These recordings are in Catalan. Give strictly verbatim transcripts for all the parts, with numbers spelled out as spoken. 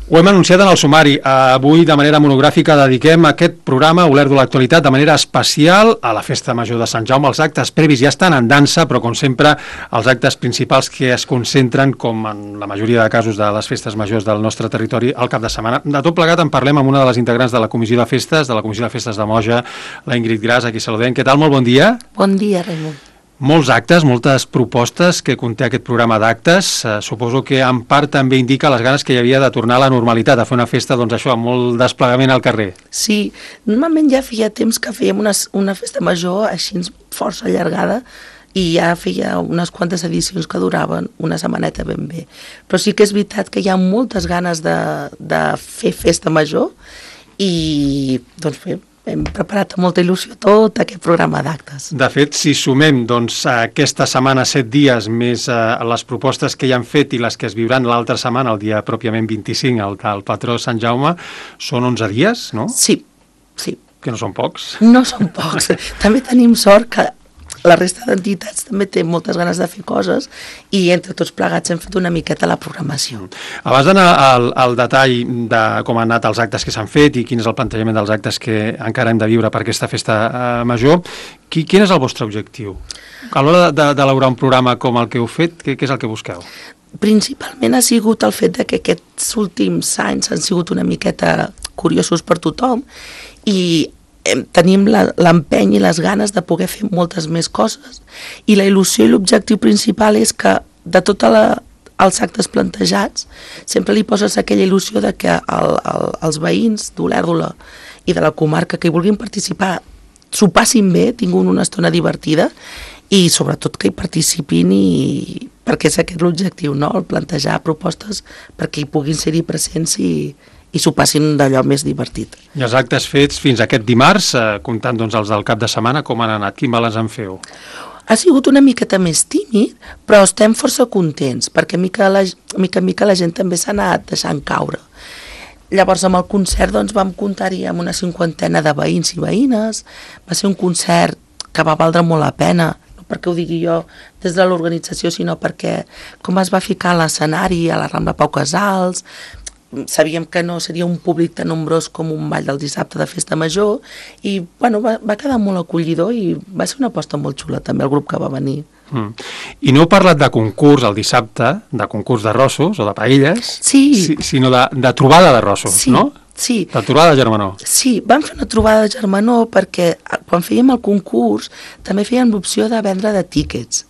Ho hem anunciat en el sumari. Avui, de manera monogràfica, dediquem aquest programa, Olert de l'actualitat, de manera especial a la Festa Major de Sant Jaume. Els actes previs ja estan en dansa, però, com sempre, els actes principals que es concentren, com en la majoria de casos de les festes majors del nostre territori, al cap de setmana. De tot plegat en parlem amb una de les integrants de la Comissió de Festes, de la Comissió de Festes de Moja, la Ingrid Gras, a qui saludem. Què tal? Molt bon dia. Bon dia, Raimon. Molts actes, moltes propostes que conté aquest programa d'actes. Eh, suposo que en part també indica les ganes que hi havia de tornar a la normalitat, a fer una festa, doncs això, amb molt desplegament al carrer. Sí, normalment ja feia temps que fèiem una, una festa major així força allargada i ja feia unes quantes edicions que duraven una setmaneta ben bé. Però sí que és veritat que hi ha moltes ganes de, de fer festa major i, doncs bé, hem preparat amb molta il·lusió tot aquest programa d'actes. De fet, si sumem doncs, aquesta setmana set dies més eh, les propostes que ja han fet i les que es viuran l'altra setmana, el dia pròpiament vint-i-cinc, el del patró Sant Jaume, són onze dies, no? Sí, sí. Que no són pocs. No són pocs. També tenim sort que la resta d'entitats també té moltes ganes de fer coses i entre tots plegats hem fet una miqueta la programació. Abans d'anar al, al detall de com han anat els actes que s'han fet i quin és el plantejament dels actes que encara hem de viure per aquesta festa eh, major, qui, quin és el vostre objectiu? A l'hora d'elaborar un programa com el que heu fet, què, què és el que busqueu? Principalment ha sigut el fet de que aquests últims anys han sigut una miqueta curiosos per tothom i tenim l'empeny i les ganes de poder fer moltes més coses i la il·lusió i l'objectiu principal és que de tots els actes plantejats sempre li poses aquella il·lusió de que el, el, els veïns d'Olèrdola i de la comarca que hi vulguin participar s'ho passin bé, tinguin una estona divertida i sobretot que hi participin i perquè és aquest l'objectiu, no? El plantejar propostes perquè hi puguin ser-hi presents i i s'ho passin d'allò més divertit. I els actes fets fins aquest dimarts, eh, comptant doncs, els del cap de setmana, com han anat? Quin balanç en feu? Ha sigut una miqueta més tímid, però estem força contents, perquè mica la, mica en mica la gent també s'ha anat deixant caure. Llavors, amb el concert doncs, vam comptar-hi amb una cinquantena de veïns i veïnes, va ser un concert que va valdre molt la pena, no perquè ho digui jo des de l'organització, sinó perquè com es va ficar a l'escenari, a la Rambla Pau Casals, sabíem que no seria un públic tan nombrós com un ball del dissabte de festa major i bueno, va, va quedar molt acollidor i va ser una aposta molt xula també el grup que va venir. Mm. I no heu parlat de concurs el dissabte, de concurs d'arrossos o de paelles, sí. si, sinó de, de trobada d'arrossos, sí. no? Sí. De trobada de germanor. Sí, vam fer una trobada de germanor perquè quan fèiem el concurs també fèiem l'opció de vendre de tíquets.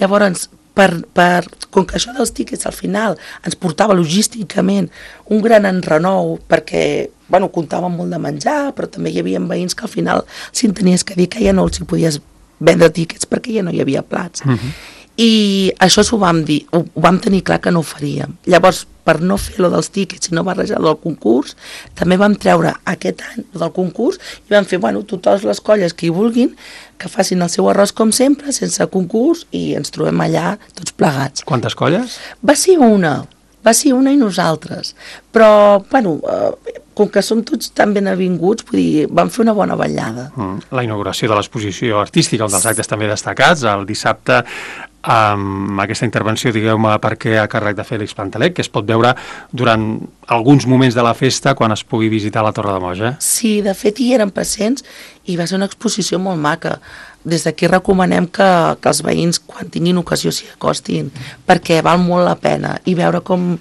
Llavors, Per, per, com que això dels tíquets al final ens portava logísticament un gran enrenou perquè bueno, comptàvem molt de menjar però també hi havia veïns que al final si en tenies que dir que ja no els hi podies vendre tíquets perquè ja no hi havia plats uh-huh. I això s'ho vam dir, ho, ho vam tenir clar que no ho faríem. Llavors, per no fer-lo dels tíquets i no barrejar-lo del concurs, també vam treure aquest any del concurs i vam fer, bueno, totes les colles que hi vulguin, que facin el seu arròs com sempre, sense concurs, i ens trobem allà tots plegats. Quantes colles? Va ser una, va ser una i nosaltres. Però, bueno, eh, com que som tots tan ben avinguts, vull dir, vam fer una bona ballada. Mm. La inauguració de l'exposició artística, un dels actes també destacats, el dissabte, amb aquesta intervenció, digueu-me per què, a càrrec de Fèlix Pantalec, que es pot veure durant alguns moments de la festa quan es pugui visitar la Torre de Moja. Sí, de fet hi eren presents i va ser una exposició molt maca. Des d'aquí recomanem que, que els veïns, quan tinguin ocasió, s'hi acostin, perquè val molt la pena i veure com,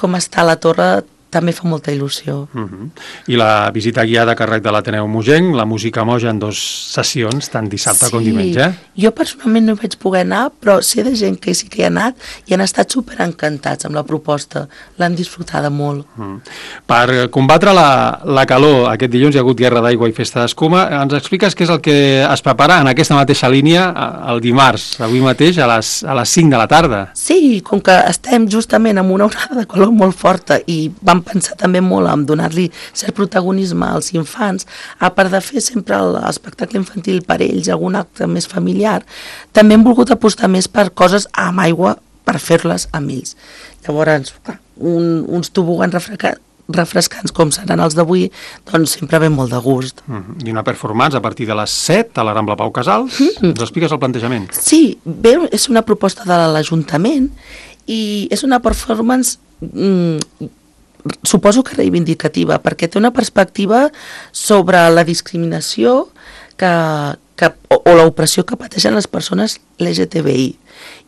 com està la torre també fa molta il·lusió. Uh-huh. I la visita guiada a càrrec de l'Ateneu Mogenc, la música Moja en dues sessions, tant dissabte sí, com diumenge. Jo personalment no hi vaig poder anar, però sé de gent que sí que hi ha anat i han estat superencantats amb la proposta, l'han disfrutada molt. Uh-huh. Per combatre la, la calor, aquest dilluns hi ha hagut guerra d'aigua i festa d'escuma. Ens expliques què és el que es prepara en aquesta mateixa línia el dimarts, avui mateix, a les, a les cinc de la tarda? Sí, com que estem justament amb una onada de calor molt forta i vam pensar també molt en donar-li cert protagonisme als infants, a part de fer sempre l'espectacle infantil per ells, algun acte més familiar, també hem volgut apostar més per coses amb aigua per fer-les amb ells. Llavors, un, uns tobogans refrescants, refrescants com seran els d'avui, doncs sempre ve molt de gust. Mm-hmm. I una performance a partir de les set a la Rambla Pau Casals. Mm-hmm. Ens expliques el plantejament? Sí, bé, és una proposta de l'Ajuntament i és una performance mm, suposo que reivindicativa, perquè té una perspectiva sobre la discriminació que, que, o, o l'opressió que pateixen les persones L G T B I.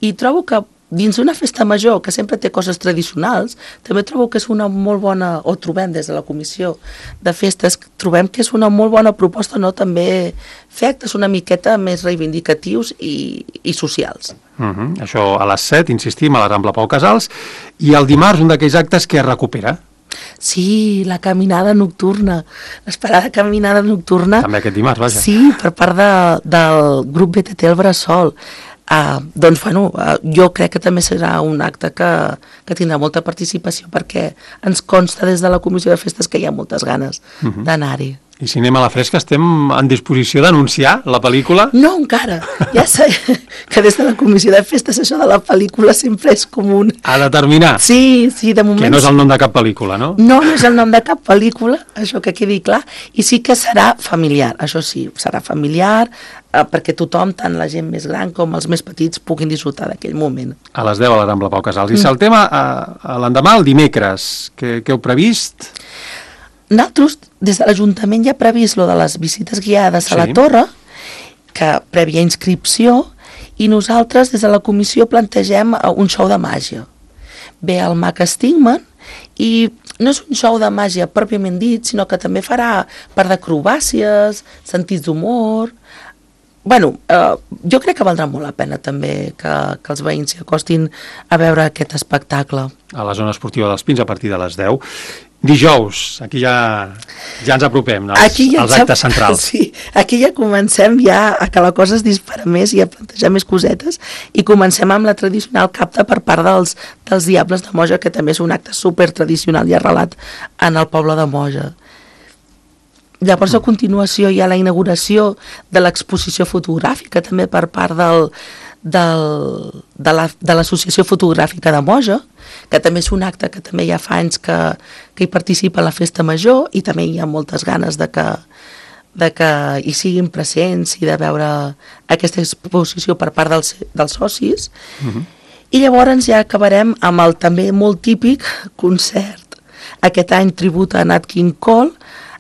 I trobo que dins d'una festa major, que sempre té coses tradicionals, també trobo que és una molt bona, o trobem des de la comissió de festes, trobem que és una molt bona proposta, no?, també fer actes una miqueta més reivindicatius i, i socials. Uh -huh. Això a les set, insistim, a la Rambla Pau Casals, i el dimarts un d'aquells actes que es recupera. Sí, la caminada nocturna, l'esperada caminada nocturna. També aquest dimarts, vaja. Sí, per part de, del grup B T T El Bressol. Uh, doncs, bueno, uh, jo crec que també serà un acte que, que tindrà molta participació, perquè ens consta des de la Comissió de Festes que hi ha moltes ganes uh -huh. d'anar-hi. I Cinema a la Fresca, estem en disposició d'anunciar la pel·lícula? No, encara. Ja sé que des de la Comissió de Festes això de la pel·lícula sempre és comú. A determinar. Sí, sí, de moment... Que no és el nom de cap pel·lícula, no? No, no és el nom de cap pel·lícula, això que quedi clar, i sí que serà familiar, això sí, serà familiar, eh, perquè tothom, tant la gent més gran com els més petits, puguin disfrutar d'aquell moment. A les deu a la Rambla Pau Casals. I mm. saltem a, a l'endemà, el dimecres. Què, què heu previst? Nosaltres, des de l'Ajuntament ja ha previst lo de les visites guiades sí. a la torre, que prèvia inscripció, i nosaltres des de la comissió plantegem un show de màgia. Ve el mag Stigman i no és un show de màgia pròpiament dit, sinó que també farà part d'acrobàcies, sentits d'humor. Bueno, eh, jo crec que valdrà molt la pena també que, que els veïns s'hi acostin a veure aquest espectacle. A la zona esportiva dels Pins a partir de les deu. Dijous, aquí ja, ja ens apropem als, ja als actes centrals. Sí, aquí ja comencem ja a que la cosa es dispara més i a plantejar més cosetes, i comencem amb la tradicional capta per part dels, dels Diables de Moja, que també és un acte super tradicional i arrelat en el poble de Moja. Llavors, a continuació, hi ha la inauguració de l'exposició fotogràfica, també per part del, del, de l'Associació Fotogràfica de Moja, que també és un acte que també ja fa anys que, que hi participa a la Festa Major, i també hi ha moltes ganes de que, de que hi siguin presents i de veure aquesta exposició per part dels, dels socis. Uh-huh. I llavors ja acabarem amb el també molt típic concert, aquest any tribut a Nat King Cole,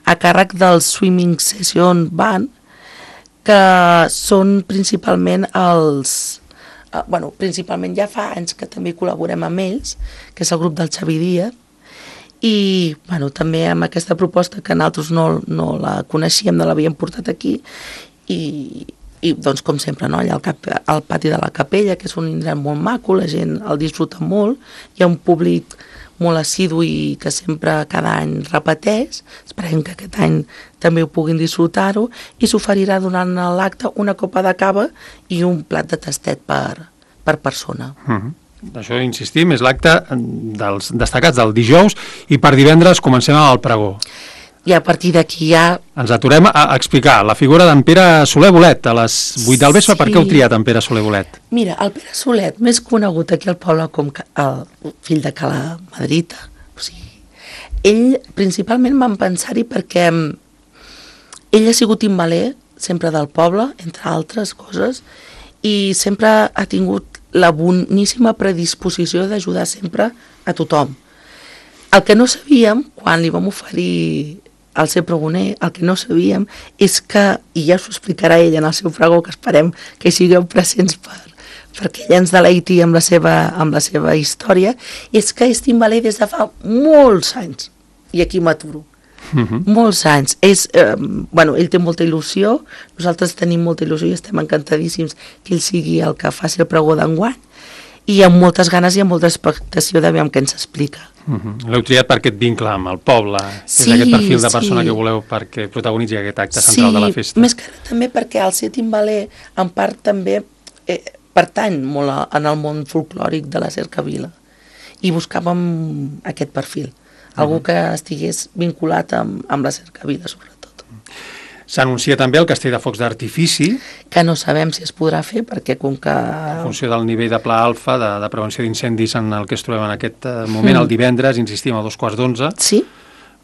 a càrrec del Swimming Session Band, que són principalment els... Uh, bueno, principalment ja fa anys que també col·laborem amb ells, que és el grup del Xavi Díaz, i bueno, també amb aquesta proposta que nosaltres no, no la coneixíem, no l'havíem portat aquí, i, i doncs com sempre, no? Allà al, cap, al pati de la Capella, que és un indret molt maco, la gent el disfruta molt, hi ha un públic molt assidu i que sempre cada any repeteix. Esperem que aquest any també ho puguin disfrutar-ho, i s'oferirà durant l'acte una copa de cava i un plat de tastet per, per persona. Uh-huh. Això, insistim, és l'acte dels destacats del dijous, i per divendres comencem amb el pregó. I a partir d'aquí ja... Ens aturem a explicar la figura d'en Pere Soler Bolet a les vuit del vespre. Sí. Per què heu triat en Pere Soler Bolet? Mira, el Pere Solet, més conegut aquí al poble com el fill de Cala Madrita, o sigui, ell principalment vam pensar-hi perquè ell ha sigut timbaler sempre del poble, entre altres coses, i sempre ha tingut la boníssima predisposició d'ajudar sempre a tothom. El que no sabíem, quan li vam oferir el ser pregoner, el que no sabíem és que, i ja us ho explicarà ell en el seu pregó, que esperem que hi sigueu presents per, perquè ell ens deleiti amb la seva, amb la seva història, és que és timbaler des de fa molts anys, i aquí m'aturo. Uh-huh. Molts anys. És, eh, bueno, ell té molta il·lusió, nosaltres tenim molta il·lusió i estem encantadíssims que ell sigui el que faci el pregó d'enguany, i amb moltes ganes i amb molta expectació de veure què ens explica. Uh-huh. L'heu triat per aquest vincle amb el poble, sí, és aquest perfil de persona sí. que voleu perquè protagonitzi aquest acte central sí, de la festa. Sí, més que també perquè el ser timbaler en part també eh, pertany molt a, en el món folclòric de la cercavila, i buscàvem aquest perfil, algú uh-huh. que estigués vinculat amb, amb la cercavila sobretot. S'anuncia també el castell de focs d'artifici, que no sabem si es podrà fer, perquè com que... En funció del nivell de pla alfa, de, de prevenció d'incendis en el que es trobem en aquest moment, mm. el divendres, insistim, a dos quarts d'onze, sí.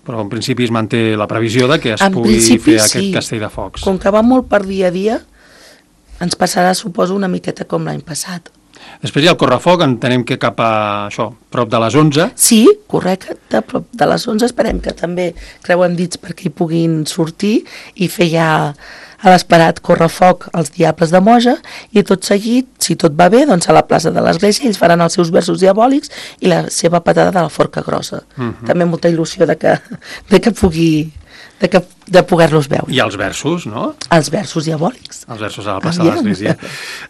però en principi es manté la previsió de que es en pugui fer aquest sí. castell de focs. Com que va molt per dia a dia, ens passarà, suposo, una miqueta com l'any passat. Després hi ha el correfoc, entenem que cap a això, prop de les onze. Sí, correcte, prop de les onze esperem que també creuen dits perquè hi puguin sortir i fer ja a l'esperat correfoc als Diables de Moja, i tot seguit, si tot va bé, doncs a la plaça de l'Església ells faran els seus versos diabòlics i la seva patada de la Forca Grossa. Uh -huh. També molta il·lusió de que, de que pugui... de, que, de poder-los veure. I els versos, no? Els versos diabòlics. Els versos a la plaça Aviam. de l'Església.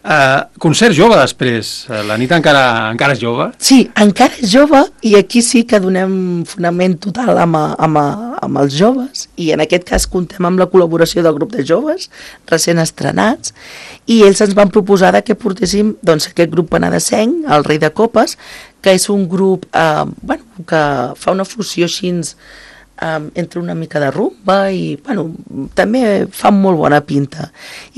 Uh, concert jove després. La nit encara encara és jove? Sí, encara és jove, i aquí sí que donem fonament total amb, amb, amb els joves, i en aquest cas comptem amb la col·laboració del grup de joves recent estrenats, i ells ens van proposar que portéssim doncs, aquest grup penedesenc, el Rei de Copes, que és un grup eh, bueno, que fa una fusió així Um, entre una mica de rumba i bueno, també fan molt bona pinta.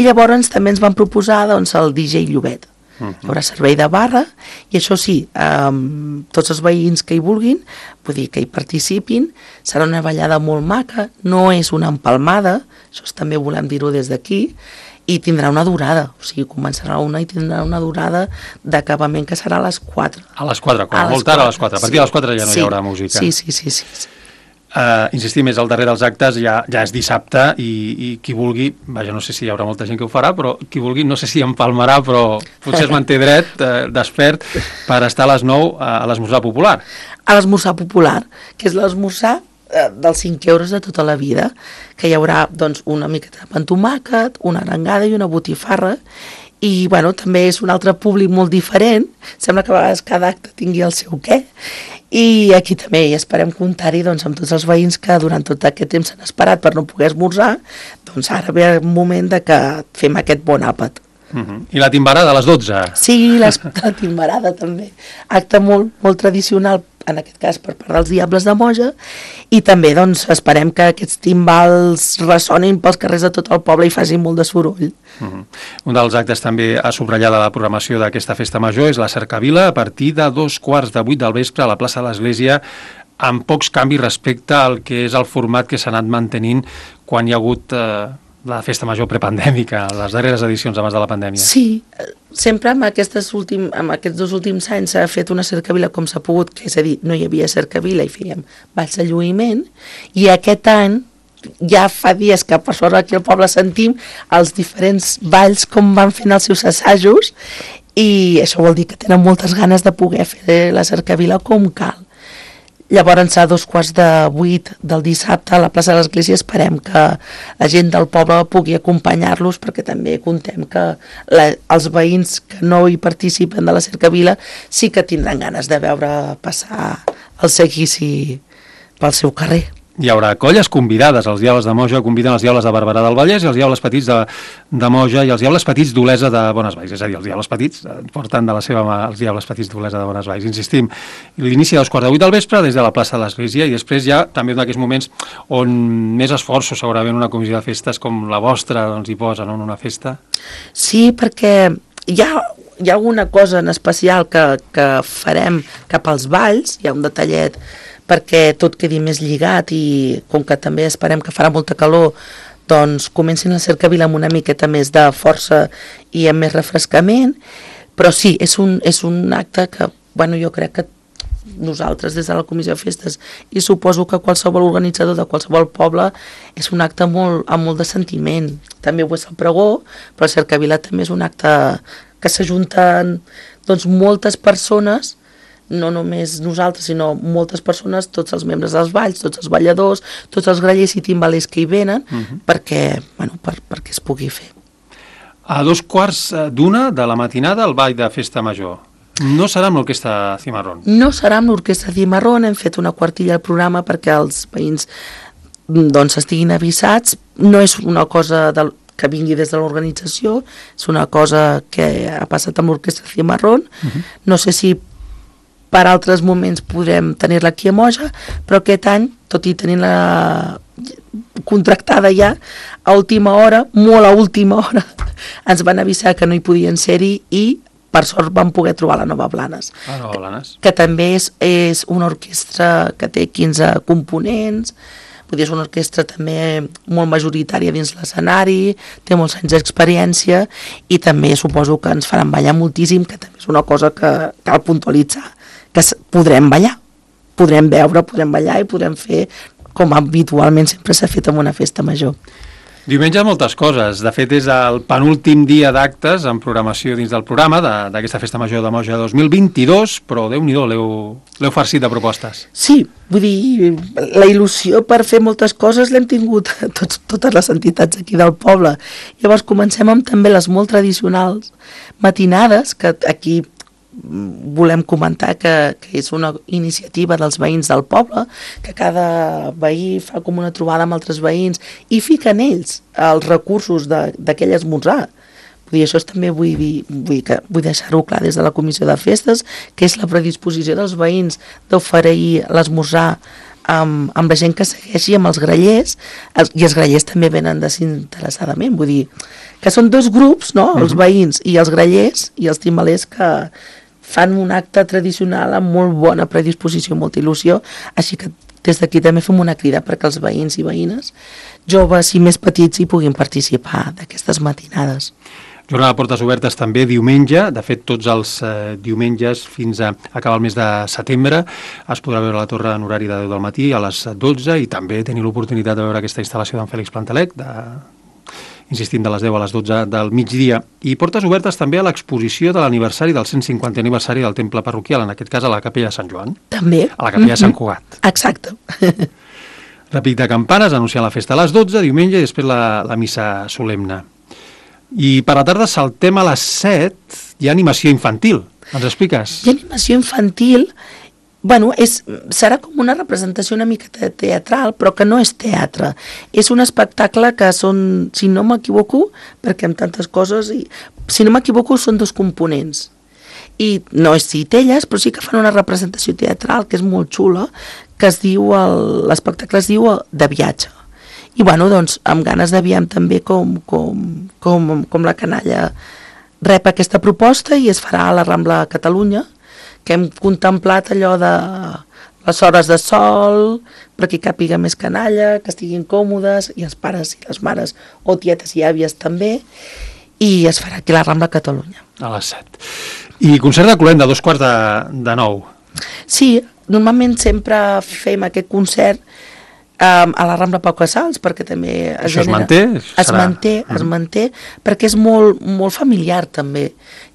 I llavors també ens van proposar doncs, el D J Llobet. Uh -huh. Hi haurà servei de barra i això sí, um, tots els veïns que hi vulguin, vull dir que hi participin, serà una ballada molt maca, no és una empalmada, això també volem dir-ho des d'aquí, i tindrà una durada, o sigui, començarà una i tindrà una durada d'acabament que serà a les quatre. A les quatre, com a molt tard a les quatre. A partir sí. de les quatre ja no sí. hi haurà música. Sí, sí, sí, sí. sí. Uh, insistim, és el darrer dels actes, ja, ja és dissabte, i, i qui vulgui, vaja, no sé si hi haurà molta gent que ho farà, però qui vulgui, no sé si empalmarà, però potser es manté dret, eh, despert, per estar a les nou a l'esmorzar popular. A l'esmorzar popular, que és l'esmorzar eh, dels cinc euros de tota la vida, que hi haurà doncs, una miqueta de pa amb tomàquet, una arengada i una botifarra, i bueno, també és un altre públic molt diferent, sembla que a vegades cada acte tingui el seu què, i aquí també esperem comptar-hi doncs, amb tots els veïns que durant tot aquest temps s'han esperat per no poder esmorzar, doncs ara ve el moment de que fem aquest bon àpat. Uh -huh. I la timbarada a les dotze? Sí, la timbarada també, acte molt, molt tradicional, en aquest cas per part dels Diables de Moja, i també doncs, esperem que aquests timbals ressonin pels carrers de tot el poble i facin molt de soroll. Uh -huh. Un dels actes també a subratllar de la programació d'aquesta festa major és la cercavila a partir de dos quarts de vuit del vespre a la plaça de l'Església, amb pocs canvis respecte al que és el format que s'ha anat mantenint quan hi ha hagut eh, la festa major prepandèmica, les darreres edicions abans de la pandèmia. Sí, sempre amb, aquestes últim, amb aquests dos últims anys s'ha fet una cercavila com s'ha pogut, que és a dir, no hi havia cercavila i fèiem balls de lluïment, i aquest any ja fa dies que per sort aquí al poble sentim els diferents balls com van fent els seus assajos, i això vol dir que tenen moltes ganes de poder fer la cercavila com cal. Llavors, a dos quarts de vuit del dissabte a la plaça de l'Església esperem que la gent del poble pugui acompanyar-los, perquè també contem que la, els veïns que no hi participen de la cercavila sí que tindran ganes de veure passar el seguici pel seu carrer. Hi haurà colles convidades. Els Diables de Moja conviden els Diables de Barberà del Vallès i els Diables Petits de, de Moja i els Diables Petits d'Olesa de Bonesvalls. És a dir, els Diables Petits porten de la seva mà els Diables Petits d'Olesa de Bonesvalls. Insistim, l'inici a dos quarts de vuit del vespre des de la plaça de l'Església, i després ja també en aquests moments on més esforços segurament una comissió de festes com la vostra doncs, hi posa, no?, en una festa. Sí, perquè hi ha, hi ha alguna cosa en especial que, que farem cap als balls, hi ha un detallet perquè tot quedi més lligat, i com que també esperem que farà molta calor, doncs comencin la cercavila amb una miqueta més de força i amb més refrescament, però sí, és un, és un acte que, bueno, jo crec que nosaltres des de la Comissió de Festes, i suposo que qualsevol organitzador de qualsevol poble, és un acte molt, amb molt de sentiment. També ho és el pregó, però la cercavila també és un acte que s'ajunten doncs, moltes persones, no només nosaltres, sinó moltes persones, tots els membres dels balls, tots els balladors, tots els grallers i timbalers que hi venen, uh -huh. perquè, bueno, per, perquè es pugui fer. A dos quarts d'una de la matinada el ball de festa major. No serà amb l'orquestra Cimarrón? No serà amb l'orquestra Cimarrón, hem fet una quartilla al programa perquè els veïns doncs, estiguin avisats. No és una cosa de, que vingui des de l'organització, és una cosa que ha passat amb l'orquestra Cimarrón. Uh -huh. No sé si per altres moments podrem tenir-la aquí a Moja, però aquest any, tot i tenir-la contractada ja, a última hora, molt a última hora, ens van avisar que no hi podien ser-hi, i per sort vam poder trobar la Nova Blanes. La Nova Blanes. Que, que també és, és una orquestra que té quinze components, Vull dir, és una orquestra també molt majoritària dins l'escenari, té molts anys d'experiència i també suposo que ens faran ballar moltíssim, que també és una cosa que cal puntualitzar, que podrem ballar, podrem veure, podrem ballar i podrem fer com habitualment sempre s'ha fet en una festa major. Diumenge moltes coses. De fet, és el penúltim dia d'actes en programació dins del programa d'aquesta Festa Major de Moja dos mil vint-i-dos, però Déu-n'hi-do, l'heu farcit de propostes. Sí, vull dir, la il·lusió per fer moltes coses l'hem tingut tots, totes les entitats aquí del poble. Llavors comencem amb també les molt tradicionals matinades, que aquí volem comentar que, que és una iniciativa dels veïns del poble, que cada veí fa com una trobada amb altres veïns i fiquen ells els recursos d'aquell esmorzar. Vull dir, això també vull, dir, vull, que, vull deixar-ho clar des de la comissió de festes, que és la predisposició dels veïns d'oferir l'esmorzar amb, amb la gent que segueixi, amb els grallers, els, i els grallers també venen desinteressadament, vull dir, que són dos grups, no?, els veïns i els grallers i els timbalers que fan un acte tradicional amb molt bona predisposició, molta il·lusió, així que des d'aquí també fem una crida perquè els veïns i veïnes, joves i més petits, hi puguin participar d'aquestes matinades. Jornada de portes obertes també diumenge, de fet tots els eh, diumenges fins a acabar el mes de setembre es podrà veure la torre en horari de deu del matí a les dotze i també tenir l'oportunitat de veure aquesta instal·lació d'en Fèlix Plantalec, de, insistint de les deu a les dotze del migdia. I portes obertes també a l'exposició de l'aniversari del cent cinquantè aniversari del temple parroquial, en aquest cas a la capella de Sant Joan. També. A la capella de Sant Cugat. Exacte. Repic de campanes, anunciant la festa a les dotze, diumenge, i després la, la missa solemne. I per la tarda saltem a les set, hi ha animació infantil. Ens expliques? Hi ha animació infantil, bueno, és, serà com una representació una mica teatral, però que no és teatre. És un espectacle que són, si no m'equivoco, perquè amb tantes coses, i, si no m'equivoco, són dos components. I no és Citelles, però sí que fan una representació teatral que és molt xula, que es diu, l'espectacle es diu De viatge. I bueno, doncs, amb ganes d'aviam també com, com, com, com la canalla rep aquesta proposta i es farà a la Rambla Catalunya, que hem contemplat allò de les hores de sol, perquè càpiga més canalla, que estiguin còmodes, i els pares i les mares, o tietes i àvies també, i es farà aquí a la Rambla Catalunya. A les set. I concert de Cluenda, dos quarts de, de nou. Sí, normalment sempre fem aquest concert Um, a la Rambla Pau Casals, perquè també es, Això genera, es manté? Es serà... manté, es mm. manté, perquè és molt, molt familiar també.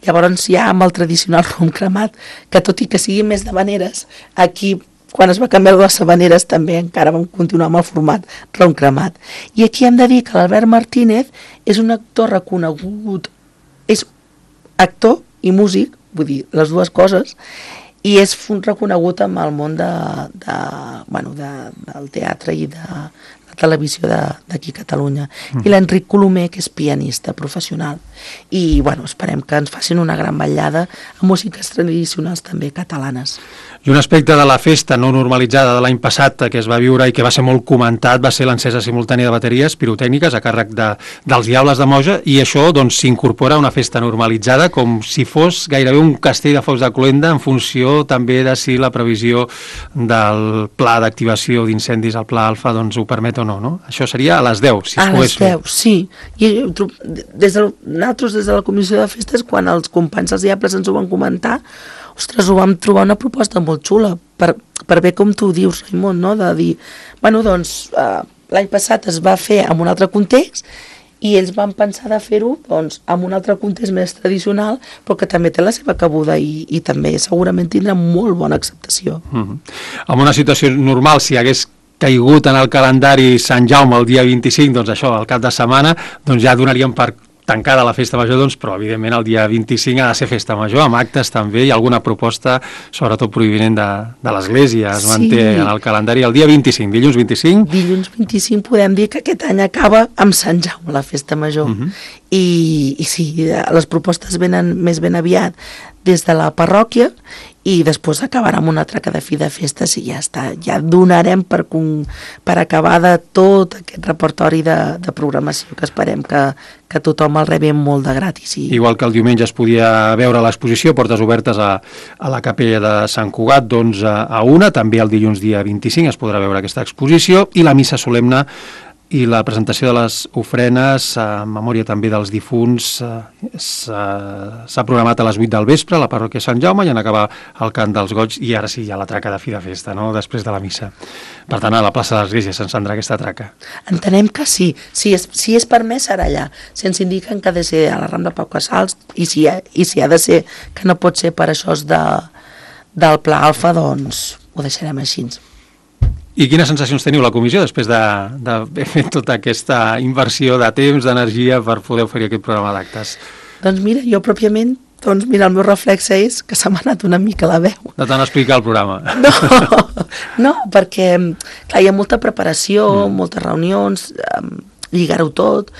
Llavors ja amb el tradicional rom cremat, que tot i que sigui més de veneres, aquí quan es va canviar les habaneres també encara vam continuar amb el format rom cremat. I aquí hem de dir que l'Albert Martínez és un actor reconegut, és actor i músic, vull dir, les dues coses, i és reconegut amb el món de, de, bueno, de, del teatre i de la televisió d'aquí a Catalunya. Mm. I l'Enric Colomer, que és pianista professional. I bueno, esperem que ens facin una gran ballada amb músiques tradicionals també catalanes. I un aspecte de la festa no normalitzada de l'any passat que es va viure i que va ser molt comentat va ser l'encesa simultània de bateries pirotècniques a càrrec de, dels Diables de Moja, i això doncs s'incorpora a una festa normalitzada com si fos gairebé un castell de focs de Cluenda, en funció també de si la previsió del pla d'activació d'incendis, el pla alfa, doncs ho permet o no, no? Això seria a les deu, si es pogués fer. A les deu, sí. I des de, nosaltres des de la comissió de festes, quan els companys dels Diables ens ho van comentar, ostres, ho vam trobar una proposta molt xula, per, per bé com tu dius, Raimon, no? De dir, bueno, doncs, eh, l'any passat es va fer en un altre context i ells van pensar de fer-ho doncs, en un altre context més tradicional, però que també té la seva cabuda i, i també segurament tindrà molt bona acceptació. Mm-hmm. En una situació normal, si hagués caigut en el calendari Sant Jaume el dia vint-i-cinc, doncs això, al cap de setmana, doncs ja donaríem per tancada la festa major, doncs, però evidentment el dia vint-i-cinc ha de ser festa major, amb actes també, i alguna proposta, sobretot provinent de, de l'Església, es sí. manté en el calendari el dia vint-i-cinc, dilluns vint-i-cinc. Dilluns vint-i-cinc podem dir que aquest any acaba amb Sant Jaume, la festa major. Uh-huh. I, I sí, les propostes venen més ben aviat des de la parròquia i després acabarà amb una traca de fi de festes i ja està, ja donarem per, per acabar de tot aquest repertori de, de programació que esperem que, que tothom el rebi molt de gratis. I... Igual que el diumenge es podia veure l'exposició, portes obertes a, a la capella de Sant Cugat d'onze a una, també el dilluns dia vint-i-cinc es podrà veure aquesta exposició i la missa solemne i la presentació de les ofrenes en memòria també dels difunts s'ha programat a les vuit del vespre a la parròquia Sant Jaume i en acabar el cant dels goigs i ara sí hi ha la traca de fi de festa, no?, després de la missa. Per tant, a la plaça de l'Església s'encendrà aquesta traca. Entenem que sí. Si és, si és permès serà allà. Si ens indiquen que ha de ser a la Rambla Pau Casals i si, ha, i si ha de ser que no pot ser per això de, del Pla Alfa, doncs ho deixarem així. I quines sensacions teniu la comissió després d'haver de, de fet tota aquesta inversió de temps, d'energia per poder oferir aquest programa d'actes? Doncs mira, jo pròpiament, doncs mira, el meu reflex és que se m'ha anat una mica la veu. De tant explicar el programa. No, no, perquè clar, hi ha molta preparació, mm. moltes reunions, um, lligar-ho tot,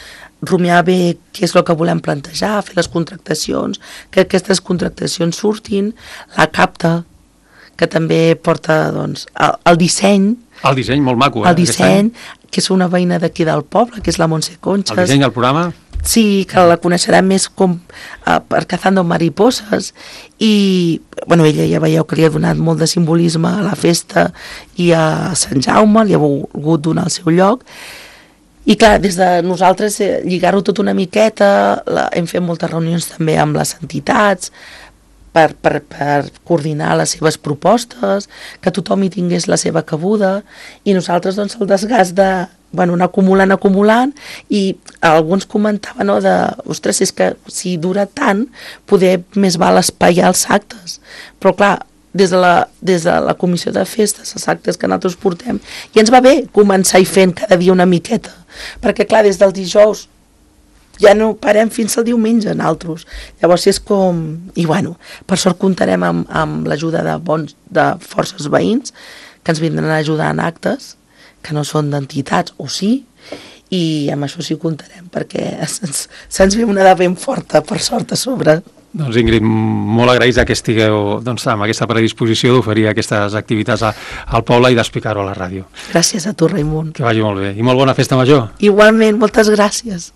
rumiar bé què és el que volem plantejar, fer les contractacions, que aquestes contractacions surtin, la capta, que també porta doncs, el, el disseny. El disseny, molt maco. Eh, el disseny, que és una veïna d'aquí del poble, que és la Montse Conxes. El disseny del programa? Sí, que la coneixerà més com uh, per Cazando Mariposas i, bueno, ella ja veieu que li ha donat molt de simbolisme a la festa i a Sant Jaume, li ha volgut donar el seu lloc. I clar, des de nosaltres eh, lligar-ho tot una miqueta, la, hem fet moltes reunions també amb les entitats, Per, per, per coordinar les seves propostes, que tothom hi tingués la seva cabuda, i nosaltres doncs el desgast de, bueno, anar acumulant, acumulant, i alguns comentaven, no, de, ostres, és que si dura tant, poder més val espaiar els actes. Però clar, des de la, des de la comissió de festes, els actes que nosaltres portem, i ens va bé començar-hi fent cada dia una miqueta, perquè clar, des del dijous, ja no parem fins al diumenge en altres. Llavors és com... I bueno, per sort comptarem amb, amb l'ajuda de bons, de forces veïns que ens vindran a ajudar en actes que no són d'entitats, o sí, i amb això sí comptarem, perquè se'ns se ve una de ben forta, per sort, a sobre. Doncs Ingrid, molt agraïts que estigueu doncs, amb aquesta predisposició d'oferir aquestes activitats a, al poble i d'explicar-ho a la ràdio. Gràcies a tu, Raimon. Que vagi molt bé. I molt bona festa major. Igualment, moltes gràcies.